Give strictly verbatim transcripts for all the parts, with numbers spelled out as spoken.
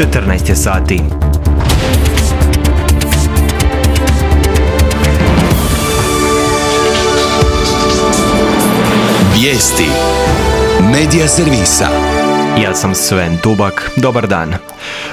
četrnaest je sati. Vijesti Medija servisa. Ja sam Sven Tubak. Dobar dan.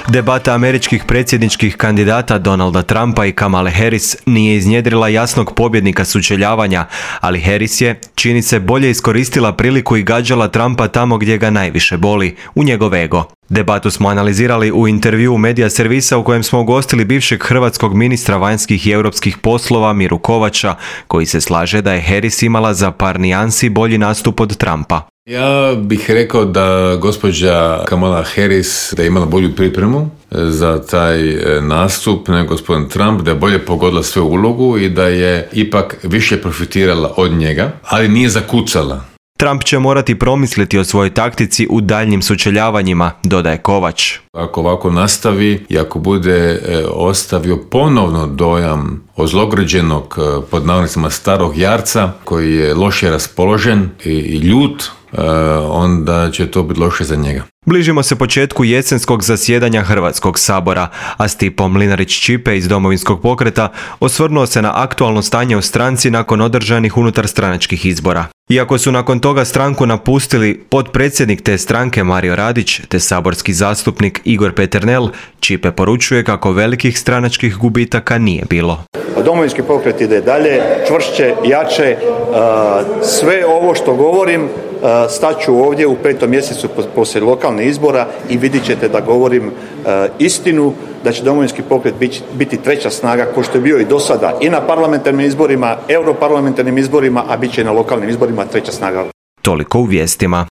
Debata američkih predsjedničkih kandidata Donalda Trumpa i Kamale Harris nije iznjedrila jasnog pobjednika sučeljavanja, ali Harris je, čini se, bolje iskoristila priliku i gađala Trumpa tamo gdje ga najviše boli, u njegov ego. Debatu smo analizirali u intervjuu Medija servisa u kojem smo ugostili bivšeg hrvatskog ministra vanjskih i europskih poslova Miru Kovača, koji se slaže da je Harris imala za par nijansi bolji nastup od Trumpa. Ja bih rekao da gospođa Kamala Harris da je imala bolju pripremu za taj nastup nego gospodin Trump, da je bolje pogodila svoju ulogu i da je ipak više profitirala od njega, ali nije zakucala. Trump će morati promisliti o svojoj taktici u daljnjim sučeljavanjima, dodaje Kovač. Ako ovako nastavi i ako bude e, ostavio ponovno dojam ozlograđenog, e, pod navodnicima starog jarca, koji je loše raspoložen i, i ljut, e, onda će to biti loše za njega. Bližimo se početku jesenskog zasjedanja Hrvatskog sabora, a Stipo Mlinarić-Ćipe iz Domovinskog pokreta osvrnuo se na aktualno stanje u stranci nakon održanih unutarstranačkih izbora. Iako su nakon toga stranku napustili potpredsjednik te stranke Mario Radić te saborski zastupnik Igor Peternel, Ćipe poručuje kako velikih stranačkih gubitaka nije bilo. Domovinski pokret ide dalje, čvršće, jače, sve ovo što govorim staću ovdje u petom mjesecu poslije lokalnih izbora i vidjet ćete da govorim istinu, da će Domovinski pokret biti treća snaga ko što je bio i do sada i na parlamentarnim izborima, europarlamentarnim izborima, a bit će i na lokalnim izborima treća snaga. Toliko u vijestima.